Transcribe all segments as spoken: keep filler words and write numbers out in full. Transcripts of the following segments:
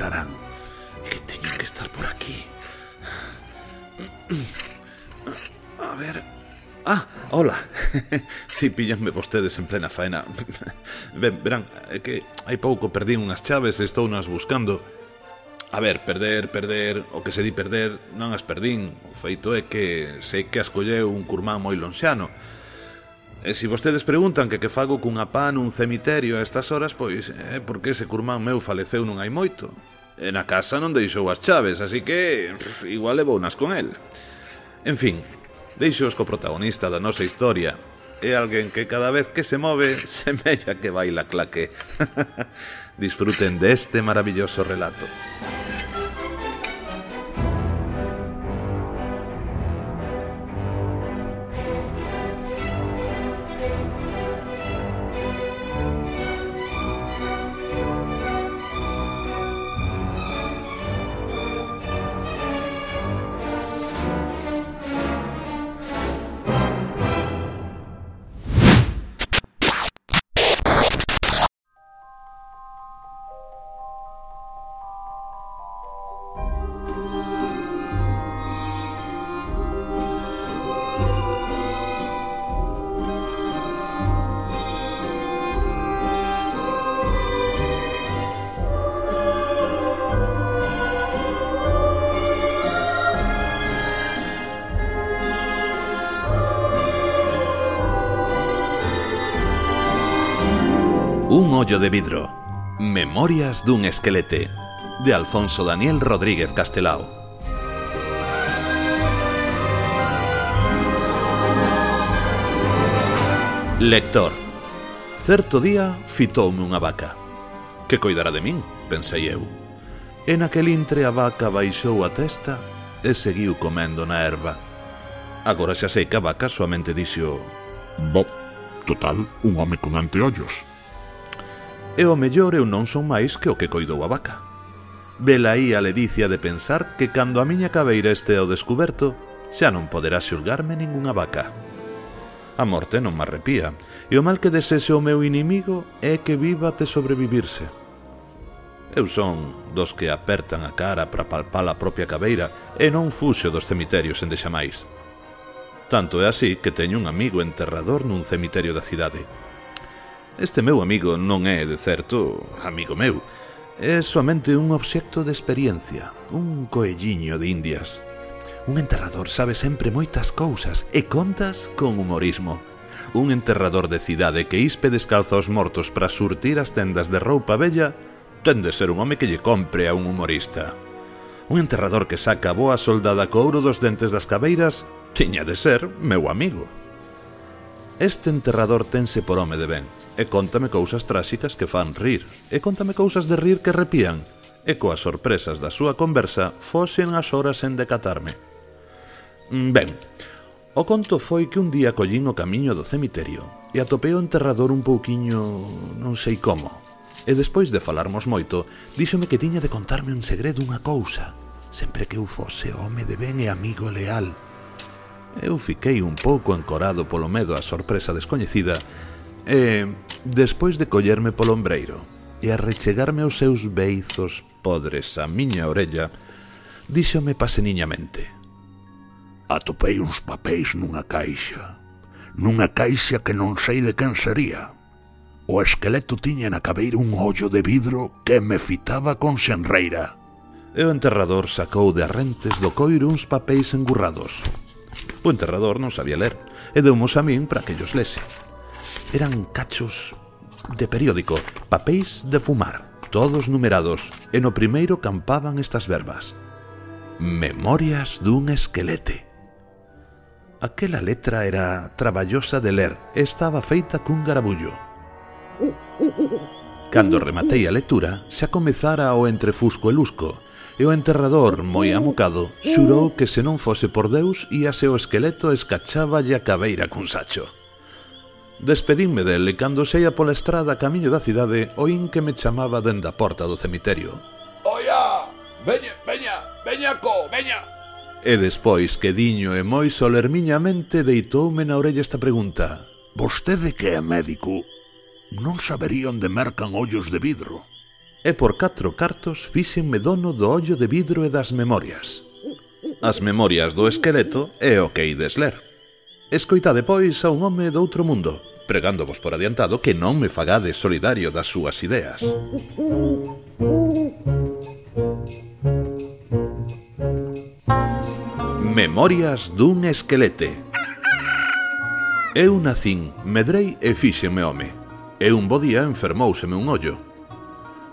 estarán? Que teñen que estar por aquí. A ver... Ah, hola. Si, pillanme vostedes en plena faena. Ben, verán, é que hai pouco perdín unhas chaves e estou nas buscando. A ver, perder, perder, o que se di perder non as perdín. O feito é que sei que as colleu un curmán moi lonxano. E se vostedes preguntan que que fago cunha pá nun cemiterio a estas horas, pois é porque ese curmán meu faleceu non hai moito. E na casa non deixou as chaves, así que pff, igual levounas con el. En fin, deixoos co protagonista da nosa historia. É alguén que cada vez que se move semella que baila claque. Disfruten deste maravilloso relato. Un ollo de vidro. Memorias dun esquelete, de Alfonso Daniel Rodríguez Castelao. Lector. Certo día fitoume unha vaca. Que coidará de min, pensei eu. En aquel intre a vaca baixou a testa e seguiu comendo na erva. Agora xa sei que a vaca soamente dixo: Bo, total, un home con anteollos. E o mellor eu non son máis que o que coidou a vaca. Vela aí a ledicia de pensar que cando a miña cabeira este ao descuberto, xa non poderá xulgarme ningunha vaca. A morte non me arrepía, e o mal que desese o meu inimigo é que viva até sobrevivirse. Eu son dos que apertan a cara para palpar a propia cabeira e non fuxo dos cemiterios en deixamais. Tanto é así que teño un amigo enterrador nun cemiterio da cidade. Este meu amigo non é, de certo, amigo meu. É somente un obxecto de experiencia, un coelliño de indias. Un enterrador sabe sempre moitas cousas e contas con humorismo. Un enterrador de cidade que ispe descalza aos mortos para surtir as tendas de roupa vella ten de ser un home que lle compre a un humorista. Un enterrador que saca boa soldada co ouro dos dentes das cabeiras tiña de ser meu amigo. Este enterrador tense por home de ben e cóntame cousas tráxicas que fan rir, e cóntame cousas de rir que repían, e coas sorpresas da súa conversa foxen as horas en decatarme. Ben, o conto foi que un día collín o camiño do cemiterio e atopei o enterrador un pouquiño non sei como, e despois de falarmos moito, díxome que tiña de contarme un segredo, unha cousa, sempre que eu fose home de ben e amigo leal. Eu fiquei un pouco encorado polo medo á sorpresa descoñecida, e, despois de collerme polo ombreiro e arrechegarme aos seus beizos podres á miña orella, díxome paseniñamente: Atopei uns papéis nunha caixa, nunha caixa que non sei de quen sería. O esqueleto tiña na cabeira un ollo de vidro que me fitaba con xenreira. E o enterrador sacou de arrentes do coiro uns papéis engurrados. O enterrador non sabía ler e deumos a min para que llos lese. Eran cachos de periódico, papéis de fumar, todos numerados, e no primeiro campaban estas verbas: Memorias dun esquelete. Aquela letra era traballosa de ler e estaba feita cun garabullo. Cando rematei a lectura, xa comezara o entrefusco e lusco, e o enterrador, moi amocado, xurou que se non fose por Deus íase o esqueleto escacháballe a cabeira cun sacho. Despedínme del e cando xeia pola estrada camiño da cidade oín que me chamaba dende a porta do cemiterio. Oia, veña, veña, veñaco, veña. E despois que diño e moi solermiñamente deitoume na orella esta pregunta: Vostede que é médico, non sabería onde mercan ollos de vidro? e por catro cartos fíxenme dono do ollo de vidro e das memorias. As memorias do esqueleto é o que ides ler. Escoitade, pois, a un home doutro mundo, pregándovos por adiantado que non me fagades solidario das súas ideas. Memorias dun esquelete. Eu nacín, medrei e fíxenme home. E un bo día enfermóuseme un ollo.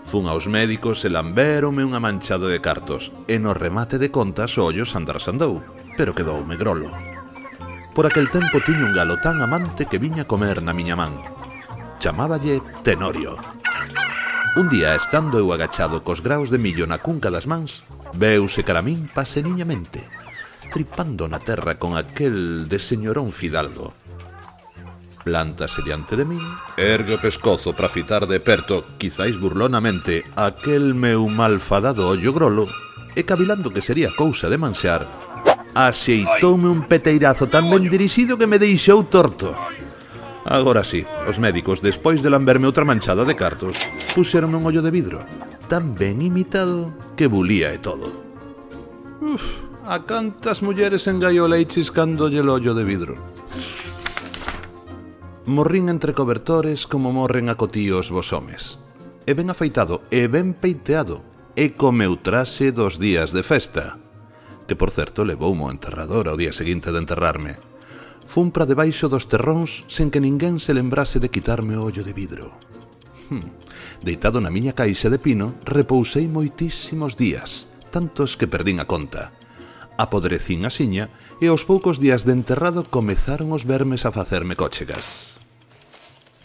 Fun aos médicos e lambéronme unha manchada de cartos, e no remate de contas o ollo sandar sandou, pero quedoume grolo. Por aquel tempo tiña un galo tan amante que viña comer na miña man. Chamáballe Tenorio. Un día, estando eu agachado cos graos de millo na cunca das mans, veuse cara a min paseniñamente, tripando na terra con aquel de señorón fidalgo. Plántase diante de min, ergue o pescozo para fitar de perto, quizáis burlonamente, aquel meu malfadado ollo grolo, e cavilando que sería cousa de manxar, axeitoume un peteirazo tan ben dirixido que me deixou torto. Agora sí, os médicos, despois de lamberme outra manchada de cartos, puxeronme un ollo de vidro, tan ben imitado que bulía e todo. Uf, a cantas mulleres engaiolei chiscándolle o ollo de vidro. Morrín entre cobertores como morren acotíos vos homes. E ben afeitado, e ben peiteado, e co meu traxe dos días de festa, que por certo levoumo ao enterrador ao día seguinte de enterrarme. Fun pra debaixo dos terróns sen que ninguén se lembrase de quitarme o ollo de vidro. Hm. Deitado na miña caixa de pino, repousei moitísimos días, tantos que perdín a conta. Apodrecín a xiña e aos poucos días de enterrado comezaron os vermes a facerme cóchegas.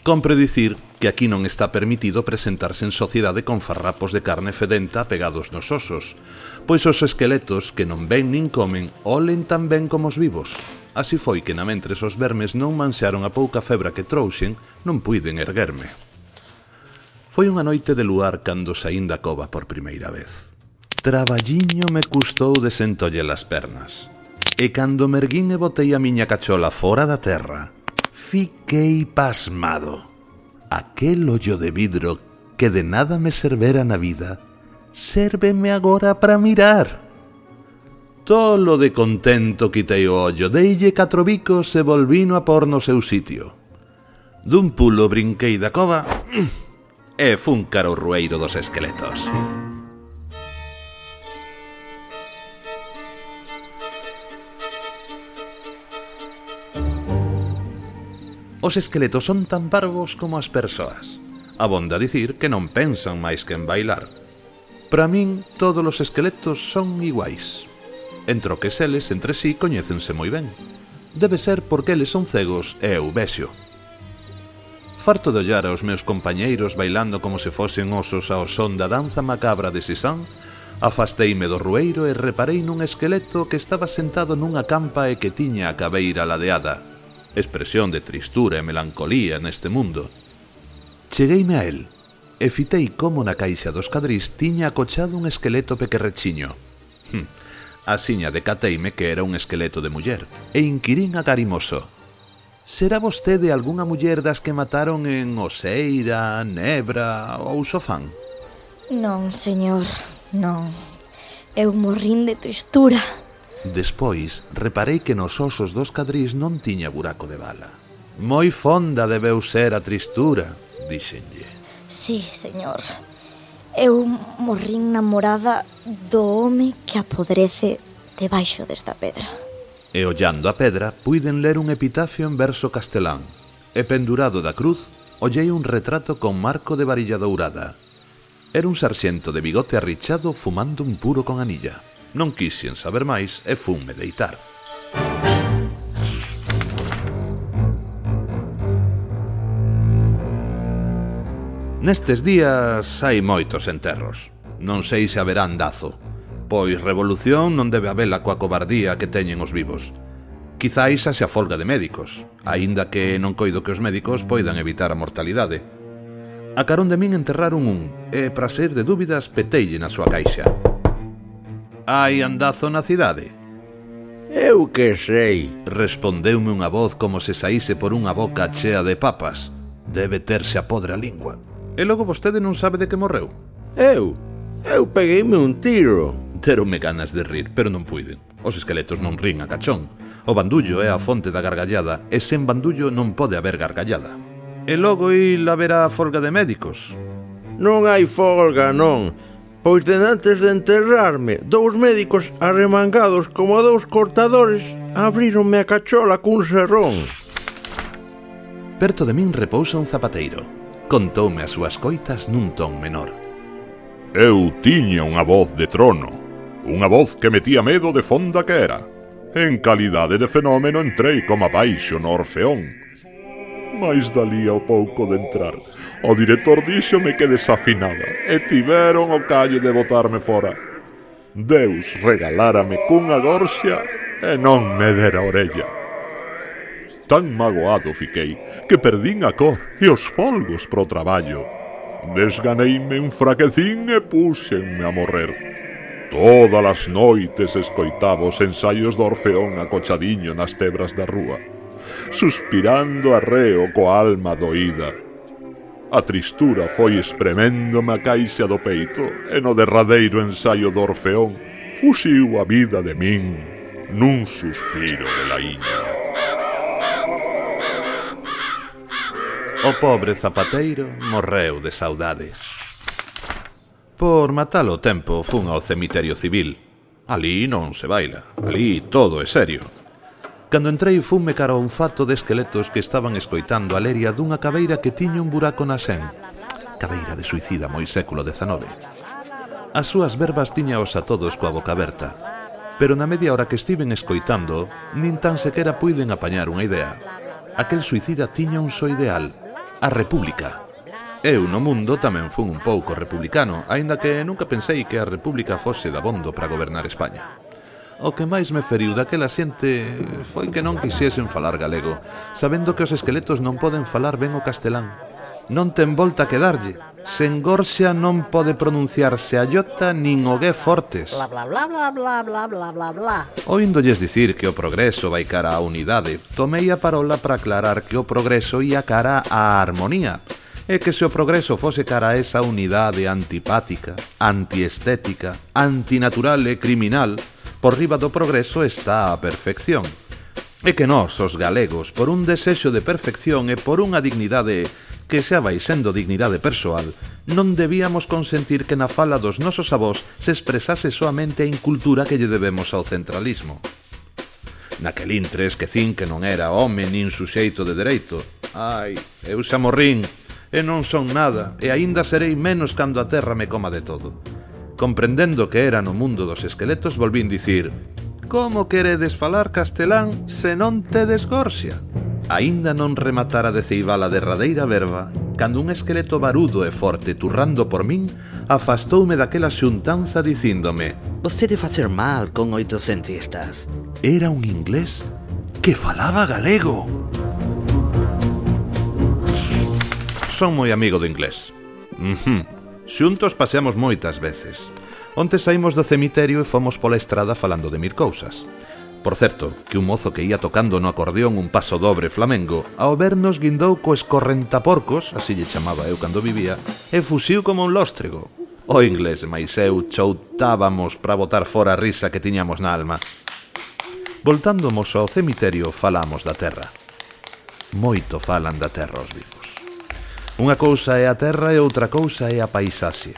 Compre dicir que aquí non está permitido presentarse en sociedade con farrapos de carne fedenta pegados nos osos, pois os esqueletos que non ven nin comen olen tan ben como os vivos. Así foi que namentres os vermes non manxaron a pouca febra que trouxen, non puiden erguerme. Foi unha noite de luar cando saín da cova por primeira vez. Traballiño me custou desentolle as pernas. E cando me erguín e botei a miña cachola fora da terra, fiquei pasmado. Aquel ollo de vidro que de nada me servera na vida, sérveme agora para mirar. Tolo de contento quitei o ollo, deille catro bicos e volvino a por no seu sitio. Dun pulo brinquei da cova e fun cara ao rueiro dos esqueletos. Os esqueletos son tan parvos como as persoas. Abonda dicir que non pensan máis que en bailar. Para min, todos os esqueletos son iguais. Entro que eles entre sí coñécense moi ben. Debe ser porque eles son cegos e eu vexo. Farto de ollar aos meus compañeiros bailando como se fosen osos ao son da danza macabra de Sisán, afasteime do rueiro e reparei nun esqueleto que estaba sentado nunha campa e que tiña a cabeira ladeada. Expresión de tristura e melancolía neste mundo. Chegueime a él e fitei como na caixa dos cadrís tiña acochado un esqueleto pequerrechiño. Hm, asiña decateime que era un esqueleto de muller e inquirín agarimoso: será vostede algunha muller das que mataron en Oseira, Nebra ou Sofán? Non, señor, non. Eu morrín de tristura. Despois, reparei que nos osos dos cadrís non tiña buraco de bala. Moi fonda debeu ser a tristura, dixenlle. Sí, señor. Eu morrín namorada do home que apodrece debaixo desta pedra. E ollando a pedra, puiden ler un epitafio en verso castelán. E pendurado da cruz, ollei un retrato con marco de varilla dourada. Era un sarxento de bigote arrichado fumando un puro con anilla. Non quixen saber máis e funme deitar. Nestes días hai moitos enterros. Non sei se haberá andazo, pois revolución non debe habela coa cobardía que teñen os vivos. Quizáis haxa folga de médicos, aínda que non coido que os médicos poidan evitar a mortalidade. A carón de min enterraron un, e para sair de dúbidas peteille na súa caixa. Hai andazo na cidade? Eu que sei, respondeume unha voz como se saíse por unha boca chea de papas. Debe terse a podre a lingua. E logo vostede non sabe de que morreu? Eu? Eu pegueime un tiro. Deronme ganas de rir, pero non puiden. Os esqueletos non rin a cachón. O bandullo é a fonte da gargallada, e sen bandullo non pode haber gargallada. E logo il haberá folga de médicos. Non hai folga, non. Pois denantes de enterrarme, dous médicos arremangados como dous cortadores abríronme a cachola cun serrón. Perto de min repousa un zapateiro. Contoume as súas coitas nun ton menor. Eu tiña unha voz de trono, unha voz que metía medo de fonda que era. En calidade de fenómeno entrei como abaixo no Orfeón. Mais dalí ao pouco de entrar, o director díxome que desafinaba e tiveron o callo de botarme fora. Deus regalárame cunha gorxa e non me dera orella. Tan magoado fiquei que perdín a cor e os folgos pro traballo. Desganeime, enfraquecín e púxenme a morrer. Todas as noites escoitaba os ensaios do Orfeón acochadiño nas tebras da rúa, suspirando arreo coa alma doída. A tristura foi espreméndome a caixa do peito e no derradeiro ensaio do Orfeón fuxiu a vida de min nun suspiro de laíña. O pobre zapateiro morreu de saudade. Por matalo o tempo fun ao cemiterio civil. Alí non se baila, alí todo é serio. Cando entrei funme cara a un fato de esqueletos que estaban escoitando a leria dunha cabeira que tiña un buraco na sen. Cabeira de suicida moi século dezanove. As súas verbas tiñaos a todos coa boca aberta, pero na media hora que estiven escoitando, nin tan sequera puiden apañar unha idea. Aquel suicida tiña un só ideal, a república. Eu no mundo tamén fun un pouco republicano, aínda que nunca pensei que a república fose dabondo para gobernar España. O que máis me feriu daquela xente foi que non quixesen falar galego, sabendo que os esqueletos non poden falar ben o castelán. Non ten volta que darlle. Sen gorxa non pode pronunciarse a iota nin o gue fortes. Bla bla bla bla bla bla bla bla bla. Oíndolles dicir que o progreso vai cara á unidade, tomei a parola para aclarar que o progreso ia cara á armonía, e que se o progreso fose cara a esa unidade antipática, antiestética, antinatural e criminal, por riba do progreso está a perfección. E que nós, os galegos, por un desexo de perfección e por unha dignidade que xa vai sendo dignidade persoal, non debíamos consentir que na fala dos nosos avós se expresase soamente a incultura que lle debemos ao centralismo. Naquel intre esquecín que non era home nin suxeito de dereito. Ai, eu xa morrín, e non son nada, e aínda serei menos cando a terra me coma de todo. Comprendendo que era no mundo dos esqueletos, volvín dicir: como queredes falar castelán se non tedes gorxa? Aínda non rematara de ceibar a derradeira verba, cando un esqueleto barudo e forte turrando por min, afastoume daquela xuntanza dicíndome: Vostede facer mal con oitocentistas. Era un inglés que falaba galego. Son moi amigo do inglés. Mhm. Xuntos paseamos moitas veces. Onte saímos do cemiterio e fomos pola estrada falando de mil cousas. Por certo, que un mozo que ia tocando no acordeón un paso dobre flamengo, ao vernos guindou co escorrentaporcos, así lle chamaba eu cando vivía, e fuxiu como un lóstrego. O inglés máis eu choutábamos para botar fora a risa que tiñamos na alma. Voltándomos ao cemiterio, falamos da terra. Moito falan da terra os vivos. Unha cousa é a terra e outra cousa é a paisaxe.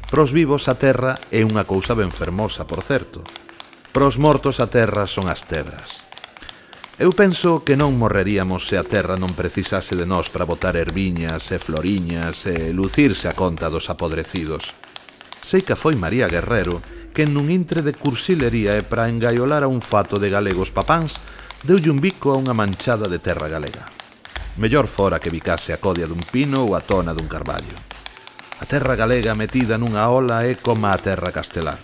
Pros vivos a terra é unha cousa ben fermosa, por certo. Pros mortos a terra son as tebras. Eu penso que non morreríamos se a terra non precisase de nós para botar erviñas e floriñas e lucirse a conta dos apodrecidos. Sei que foi María Guerrero que nun intre de cursilería e para engaiolar a un fato de galegos papáns deulle un bico a unha manchada de terra galega. Mellor fora que bicase a codia dun pino ou a tona dun carballo. A terra galega metida nunha ola é como a terra castelá.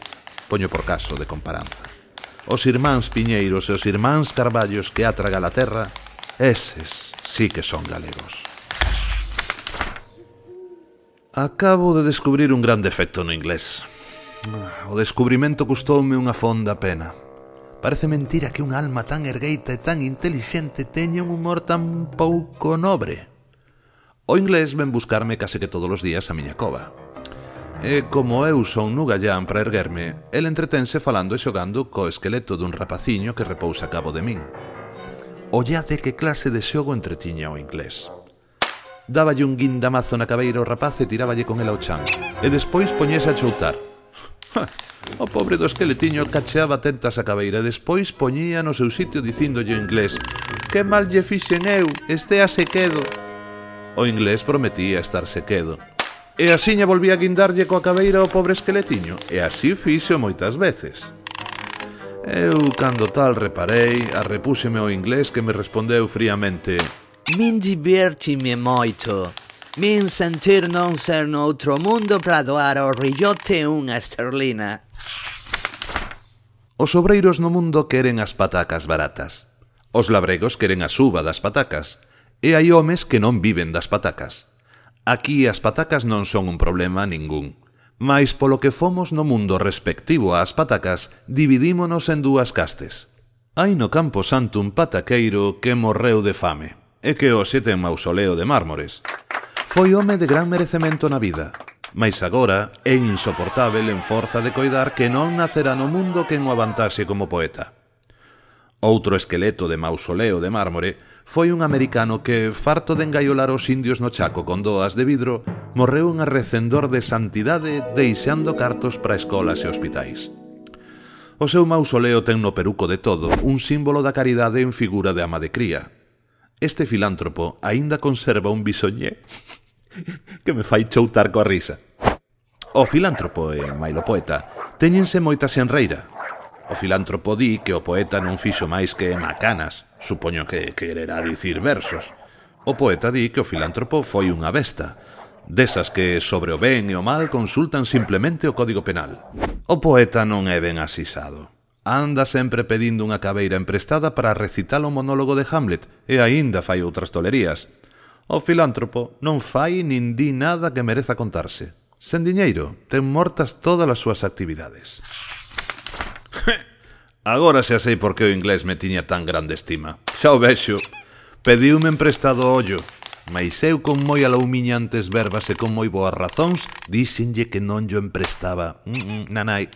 Poño por caso de comparanza. Os irmáns Piñeiros e os irmáns Carballos que atraga a terra, eses sí que son galegos. Acabo de descubrir un gran defecto no inglés. O descubrimento custoume unha fonda pena. Parece mentira que unha alma tan ergueita e tan intelixente teña un humor tan pouco nobre. O inglés ven buscarme case que todos os días a miña cova. E como eu son nugallán para erguerme, el entretense falando e xogando co esqueleto dun rapaciño que repousa a cabo de min. Ollade que clase de xogo entretiña o inglés. Dáballe un guindamazo na cabeira ao rapaz e tiráballe con el ao chan, e despois poñese a choutar. O pobre do esqueletiño cacheaba tentas a cabeira e despois poñía no seu sitio dicíndolle o inglés: que mal lle fixen eu, estéase quedo. O inglés prometía estarse quedo. E asiña volvía a guindarlle coa cabeira ao pobre esqueletiño, e así fixo moitas veces. Eu, cando tal reparei, arrepúxeme ao inglés que me respondeu fríamente: Min divertime moito. Min sentir non ser noutro mundo para doar ao rillote unha esterlina. Os obreiros no mundo queren as patacas baratas. Os labregos queren a suba das patacas. E hai homes que non viven das patacas. Aquí as patacas non son un problema ningún. Mais polo que fomos no mundo respectivo ás patacas, dividímonos en dúas castes. Hai no Campo Santo un pataqueiro que morreu de fame, e que hoxe ten mausoleo de mármores. Foi home de gran merecemento na vida, mais agora é insoportável en forza de coidar que non nacerá no mundo quen o avantaxe como poeta. Outro esqueleto de mausoleo de mármore foi un americano que, farto de engaiolar os indios no Chaco con doas de vidro, morreu un arrecendor de santidade deixando cartos para escolas e hospitais. O seu mausoleo ten no peruco de todo un símbolo da caridade en figura de ama de cría. Este filántropo aínda conserva un bisoñé que me fai choutar coa risa. O filántropo e mailo poeta téñense moita xenreira. O filántropo di que o poeta non fixo máis que macanas, supoño que quererá dicir versos. O poeta di que o filántropo foi unha besta, desas que sobre o ben e o mal consultan simplemente o Código Penal. O poeta non é ben asisado. Anda sempre pedindo unha cabeira emprestada para recitar o monólogo de Hamlet e aínda fai outras tolerías. O filántropo non fai nin di nada que mereza contarse. Sen diñeiro, ten mortas todas as súas actividades. Agora xa sei por que o inglés me tiña tan grande estima. Xa o vexo. Pediume emprestado o ollo, mais eu con moi aloumiñantes verbas e con moi boas razóns díxenlle que non yo emprestaba. Mm, mm, nanai.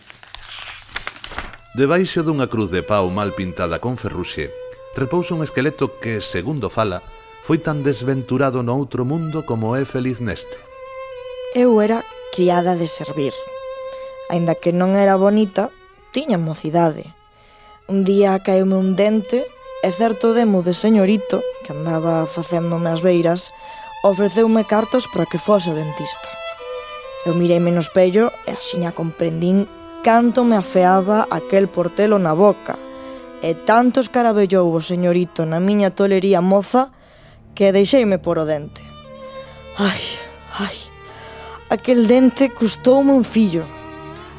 Debaixo dunha cruz de pau mal pintada con ferruxe, repousa un esqueleto que, segundo fala, foi tan desventurado no outro mundo como é feliz neste. Eu era criada de servir. Aínda que non era bonita, tiña mocidade. Un día caeume un dente e certo demo de señorito, que andaba facéndome as beiras, ofreceume cartos para que fose o dentista. Eu mireime no espello e axiña comprendín canto me afeaba aquel portelo na boca, e tanto escarabellou o señorito na miña tolería moza que deixeime por o dente. Ai, ai, aquel dente custoume un fillo,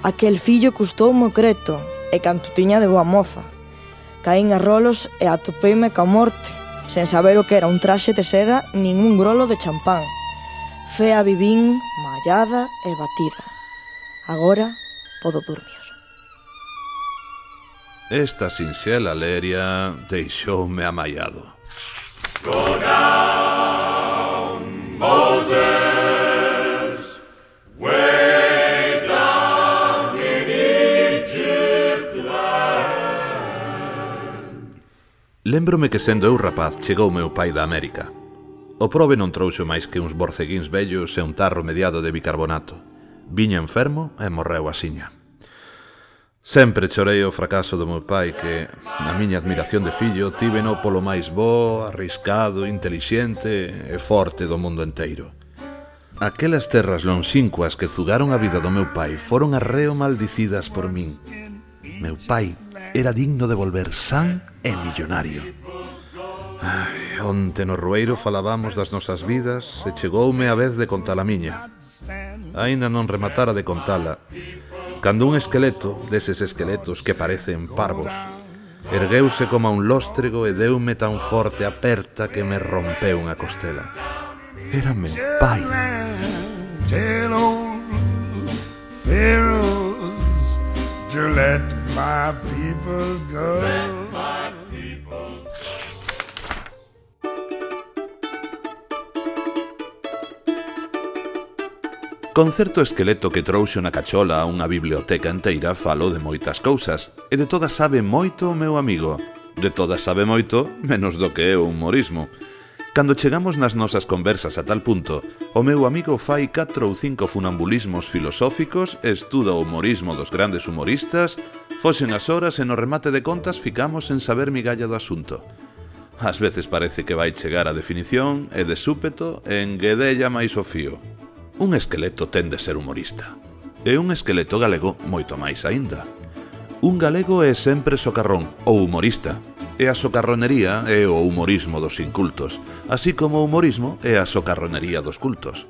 aquel fillo custoume o creto, e canto tiña de boa moza. Caín a rolos e atopeime ca morte, sen saber o que era un traxe de seda nin un grolo de champán. Fea vivín, mallada e batida. Agora podo dormir. Esta sinxela leria deixoume amaiado. Go down, Moses, way down in Egypt land. Lémbrome que sendo eu rapaz chegou meu pai da América. O prove non trouxo máis que uns borceguíns vellos e un tarro mediado de bicarbonato. Viña enfermo e morreu asiña. Sempre chorei o fracaso do meu pai que, na miña admiración de fillo, tíveno polo máis bo, arriscado, intelixente e forte do mundo enteiro. Aquelas terras lonxíncuas que zugaron a vida do meu pai foron arreo maldicidas por min. Meu pai era digno de volver san e millonario. Ai, onte no Rueiro falábamos das nosas vidas e chegoume a vez de contar a miña. Aínda non rematara de contala cando un esqueleto, deses esqueletos que parecen parvos, ergueuse como a un lóstrego e deume tan forte aperta que me rompeu unha costela. Era meu pai. Tell old pharaohs to let my people go. Con certo esqueleto que trouxo na cachola a unha biblioteca enteira falo de moitas cousas, e de todas sabe moito o meu amigo. De todas sabe moito, menos do que é o humorismo. Cando chegamos nas nosas conversas a tal punto, o meu amigo fai catro ou cinco funambulismos filosóficos, estuda o humorismo dos grandes humoristas, foxen as horas e no remate de contas ficamos en saber migalla do asunto. Ás veces parece que vai chegar a definición e de súpeto enguedella máis o fío. Un esqueleto ten de ser humorista. E un esqueleto galego moito máis aínda. Un galego é sempre socarrón, ou humorista. E a socarronería é o humorismo dos incultos, así como o humorismo é a socarronería dos cultos.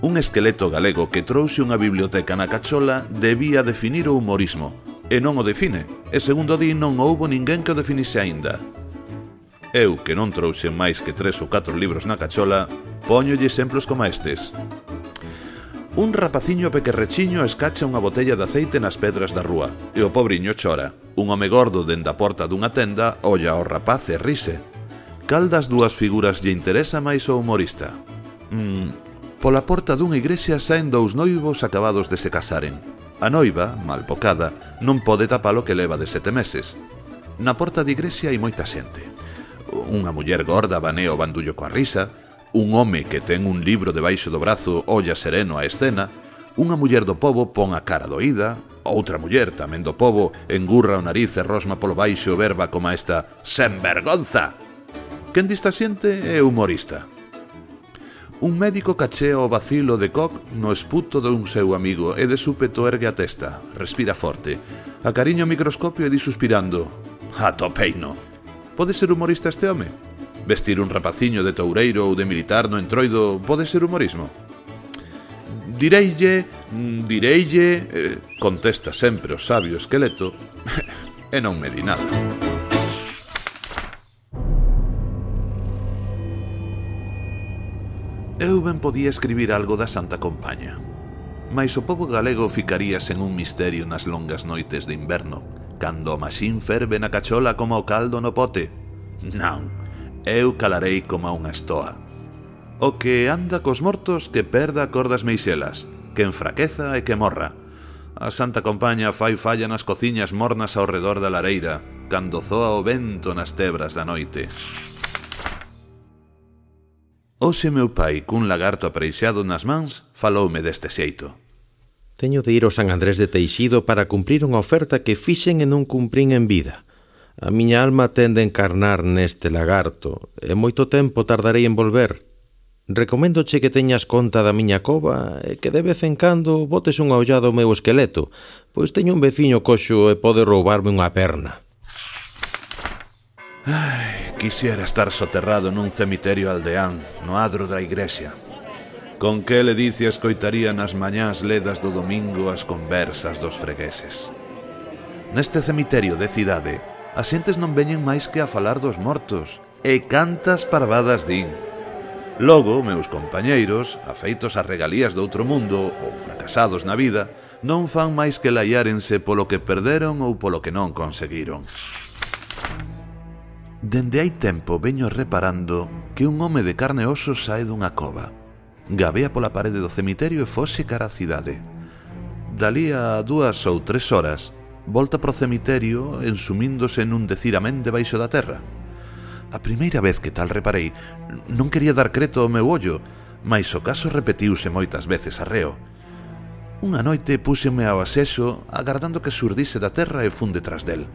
Un esqueleto galego que trouxe unha biblioteca na cachola debía definir o humorismo, e non o define, e segundo di non houbo ninguén que o definise aínda. Eu, que non trouxe máis que tres ou catro libros na cachola, póñolle exemplos como estes. Un rapaciño pequerrechiño escacha unha botella de aceite nas pedras da rúa, e o pobriño chora. Un home gordo dende a porta dunha tenda olla ao rapaz e rise. Cal das dúas figuras lle interesa máis o humorista? Mm, pola porta dunha igrexa saen dous noivos acabados de se casaren. A noiva, mal bocada, non pode tapar o que leva de sete meses. Na porta da igrexa hai moita xente. Unha muller gorda banea o bandullo coa risa, un home que ten un libro debaixo do brazo olla sereno a escena, unha muller do pobo pon a cara doída, outra muller, tamén do pobo, engurra o nariz e rosma polo baixo verba como esta «sen vergonza». Quen dista xente é humorista. Un médico cachea o vacilo de coc no esputo dun seu amigo e de súpeto ergue a testa, respira forte, acariña o microscopio e di suspirando «Atopeino». Pode ser humorista este home? Vestir un rapaciño de toureiro ou de militar no entroido pode ser humorismo? Direille, direille, eh, contesta sempre o sabio esqueleto, e non me di nada. Eu ben podía escribir algo da Santa Compaña, mais o pobo galego ficaría sen un misterio nas longas noites de inverno, cando o maxín ferve na cachola como o caldo no pote. Non. Eu calarei como a unha estoa. O que anda cos mortos que perda a cor das meixelas, que enfraqueza e que morra. A Santa Compaña fai falla nas cociñas mornas ao redor da lareira, cando zoa o vento nas tebras da noite. Hoxe meu pai, cun lagarto apreixado nas mans, faloume deste xeito. Teño de ir ao San Andrés de Teixido para cumprir unha oferta que fixen e non cumprín en vida. A miña alma tende a encarnar neste lagarto, e moito tempo tardarei en volver. Recoméndoche que teñas conta da miña cova e que de vez en cando botes unha ollada ao meu esqueleto, pois teño un veciño coxo e pode roubarme unha perna. Ai, quisiera estar soterrado nun cemiterio aldeán, no adro da igrexa. Con que ledicia escoitaría nas mañás ledas do domingo as conversas dos fregueses. Neste cemiterio de cidade, as xentes non veñen máis que a falar dos mortos, e cantas parvadas din. Logo, meus compañeiros, afeitos a regalías do outro mundo ou fracasados na vida, non fan máis que laiárense polo que perderon ou polo que non conseguiron. Dende hai tempo veño reparando que un home de carne e oso sae dunha cova, gabea pola parede do cemiterio e fose cara a cidade. Dalí a dúas ou tres horas, volta pro cemiterio ensumíndose nun decir amén debaixo da terra. A primeira vez que tal reparei, non quería dar creto ao meu ollo, mais o caso repetiuse moitas veces arreo. Unha noite púxeme ao asexo, agardando que xurdise da terra e fun detrás del.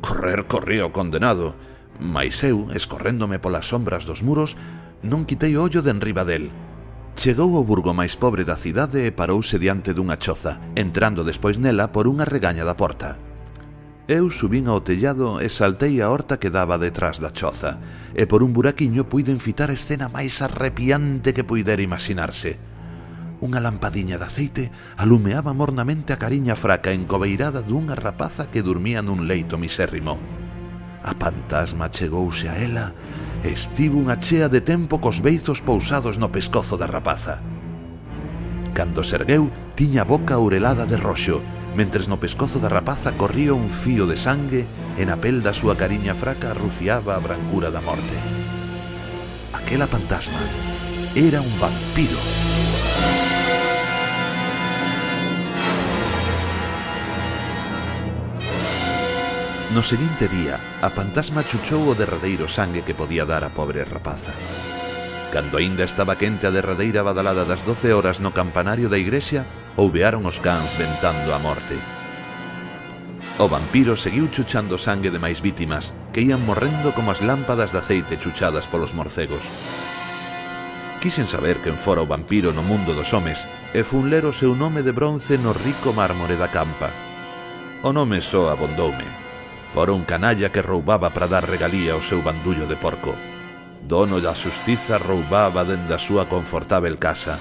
Correr corría o condenado, mais eu, escorréndome polas sombras dos muros, non quitei o ollo de enriba del. Chegou ao burgo máis pobre da cidade e parouse diante dunha choza, entrando despois nela por unha regaña da porta. Eu subín ao tellado e saltei a horta que daba detrás da choza, e por un buraquiño puiden fitar a escena máis arrepiante que puidera imaginarse. Unha lampadiña de aceite alumeaba mornamente a cariña fraca encobeirada dunha rapaza que dormía nun leito misérrimo. A fantasma chegouse a ela e estivo unha chea de tempo cos beizos pousados no pescozo da rapaza. Cando se ergueu, tiña a boca aurelada de roxo, mentres no pescozo da rapaza corría un fío de sangue e na pel da súa cariña fraca arrufiaba a brancura da morte. Aquela fantasma era un vampiro. No seguinte día, a fantasma chuchou o derradeiro sangue que podía dar a pobre rapaza. Cando aínda estaba quente a derradeira badalada das doce horas no campanario da igrexa, ouvearon os cans ventando a morte. O vampiro seguiu chuchando sangue de máis vítimas, que ían morrendo como as lámpadas de aceite chuchadas polos morcegos. Quixen saber quen fora o vampiro no mundo dos homes, e fun ler o seu nome de bronce no rico mármore da campa. O nome só abondoume. Fora un canalla que roubaba para dar regalía ao seu bandullo de porco. Dono da xustiza roubaba dende a súa confortável casa.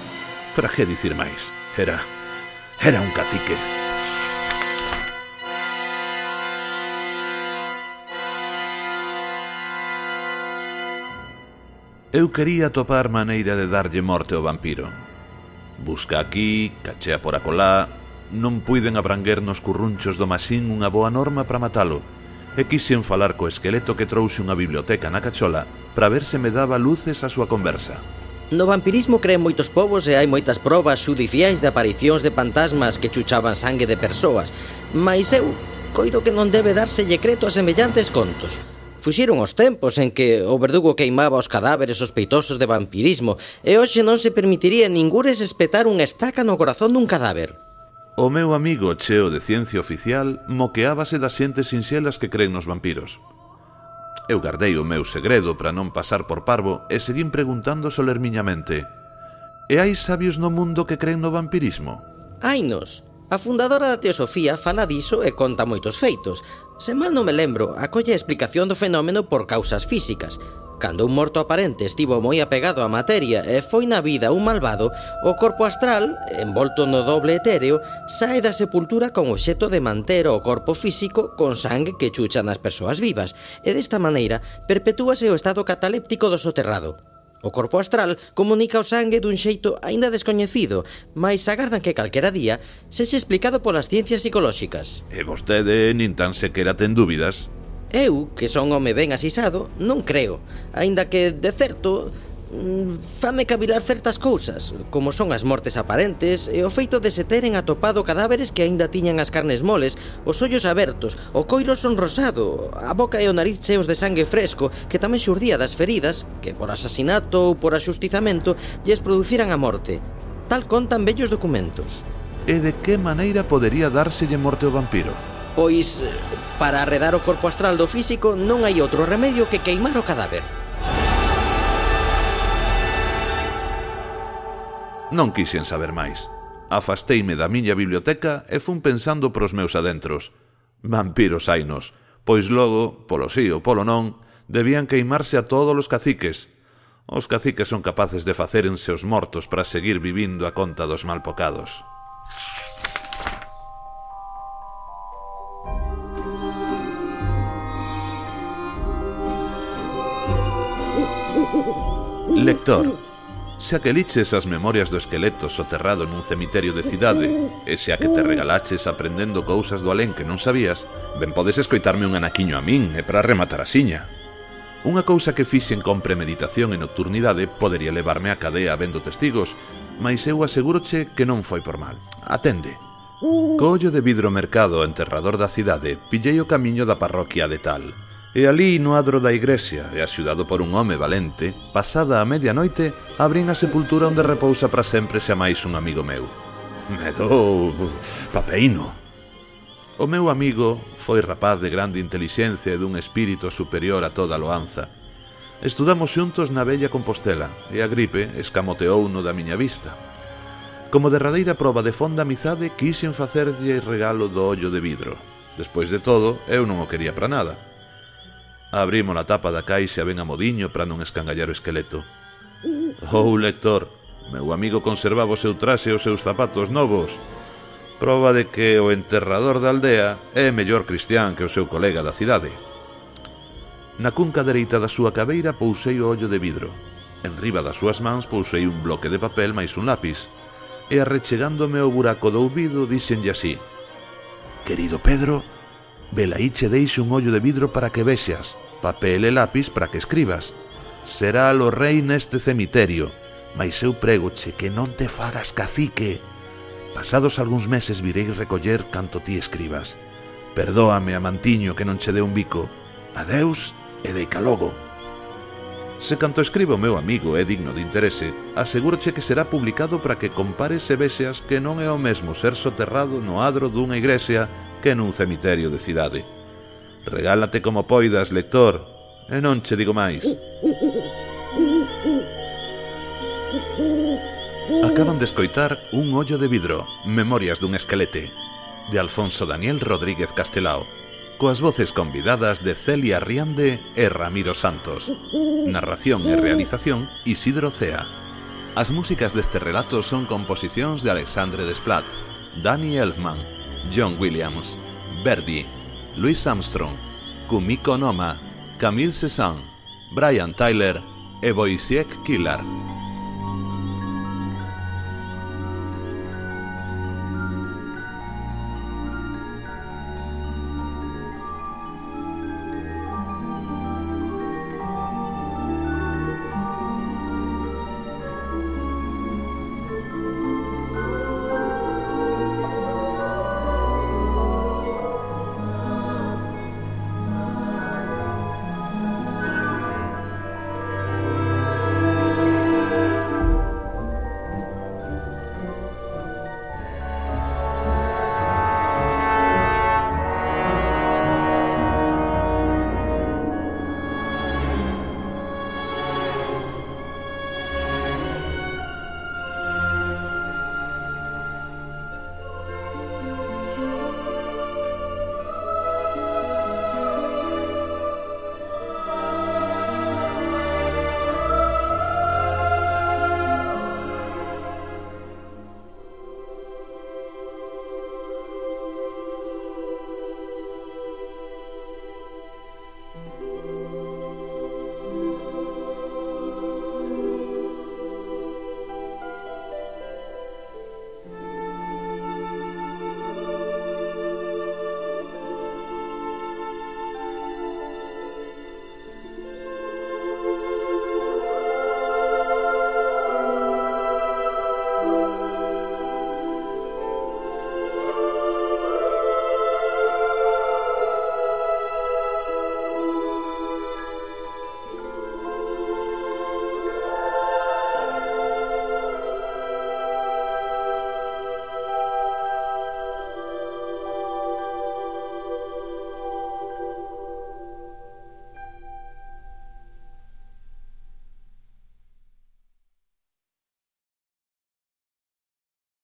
Para que dicir máis? Era... era un cacique. Eu quería topar maneira de darlle morte ao vampiro. Busca aquí, cachea por acolá... Non puiden abranguer nos currunchos do masín unha boa norma para matalo, e quixen falar co esqueleto que trouxe unha biblioteca na cachola para ver se me daba luces a súa conversa. No vampirismo creen moitos povos e hai moitas probas xudiciais de aparicións de fantasmas que chuchaban sangue de persoas, mais eu coido que non debe dárselle creto a semellantes contos. Fuxiron os tempos en que o verdugo queimaba os cadáveres sospeitosos de vampirismo e hoxe non se permitiría ningures espetar unha estaca no corazón dun cadáver. O meu amigo cheo de ciencia oficial moqueábase das xentes sinxelas que creen nos vampiros. Eu gardei o meu segredo para non pasar por parvo e seguín preguntando solermiñamente: E hai sabios no mundo que creen no vampirismo? Hainos. A fundadora da teosofía fala diso e conta moitos feitos. Se mal non me lembro, acolle a explicación do fenómeno por causas físicas. Cando un morto aparente estivo moi apegado á materia e foi na vida un malvado, o corpo astral, envolto no doble etéreo, sae da sepultura con obxecto de manter o corpo físico con sangue que chuchan as persoas vivas, e desta maneira perpetúase o estado cataléptico do soterrado. O corpo astral comunica o sangue dun xeito aínda descoñecido, mais agardan que calquera día sexe explicado polas ciencias psicolóxicas. E vostede nin tan sequera ten dúbidas? Eu, que son home ben asisado, non creo, aínda que, de certo, fame cavilar certas cousas, como son as mortes aparentes e o feito de se teren atopado cadáveres que aínda tiñan as carnes moles, os ollos abertos, o coiro sonrosado, a boca e o nariz cheos de sangue fresco que tamén xurdía das feridas que por asasinato ou por axustizamento lles produciran a morte. Tal contan vellos documentos. E de que maneira podería dárselle morte ao vampiro? Pois, para arredar o corpo astral do físico non hai outro remedio que queimar o cadáver. Non quixen saber máis. Afasteime da miña biblioteca e fun pensando pros meus adentros. Vampiros hainos, pois logo, polo sí ou polo non, debían queimarse a todos os caciques. Os caciques son capaces de facérense os mortos para seguir vivindo a conta dos malpocados. Lector, xa que liches as memorias do esqueleto soterrado nun cemiterio de cidade, e xa que te regalaches aprendendo cousas do alén que non sabías, ben podes escoitarme un anaquiño a min e para rematar a siña. Unha cousa que fixen con premeditación e nocturnidade podería levarme a cadea vendo testigos, mais eu aseguroche que non foi por mal. Atende. Co ollo de vidro mercado enterrador da cidade, pillei o camiño da parroquia de tal. E ali, no adro da igrexa, e axudado por un home valente, pasada a medianoite, abrín a sepultura onde repousa para sempre xa máis un amigo meu. Me dou papeino. O meu amigo foi rapaz de grande intelixencia e dun espírito superior a toda loanza. Estudamos xuntos na bella Compostela, e a gripe escamoteouno da miña vista. Como derradeira proba de fonda amizade, quixen facerlle regalo do ollo de vidro. Despois de todo, eu non o quería para nada. Abrimos a tapa da caixa ben a modiño para non escangallar o esqueleto. Oh, lector, meu amigo conservaba o seu traxe e os seus zapatos novos. Proba de que o enterrador da aldea é mellor cristián que o seu colega da cidade. Na cunca dereita da súa cabeira pousei o ollo de vidro. En riba das súas mans pousei un bloque de papel máis un lápis. E arrechegándome ao buraco do ouvido díxenlle así: Querido Pedro, velaí che deixo un ollo de vidro para que vexas, papel e lápis para que escribas. Será lo rei neste cemiterio, mais eu prégoche que non te fagas cacique. Pasados algúns meses vireis recoller canto ti escribas, Perdóame, amantiño, que non che dé un bico. Adeus e deica logo. Se canto escribe o meu amigo é digno de interese, asegúroche que será publicado para que compares e vexas que non é o mesmo ser soterrado no adro dunha igrexa que nun cemiterio de cidade. Regálate como poidas, lector, e non che digo máis. Acaban de escoitar Un ollo de vidro, Memorias dun esquelete, de Alfonso Daniel Rodríguez Castelao, coas voces convidadas de Celia Riande e Ramiro Santos. Narración e realización Isidro Cea. As músicas deste relato son composicións de Alexandre Desplat, Danny Elfman, John Williams, Verdi, Louis Armstrong, Kumiko Noma, Camille Cézanne, Brian Tyler e Wojciech Kilar.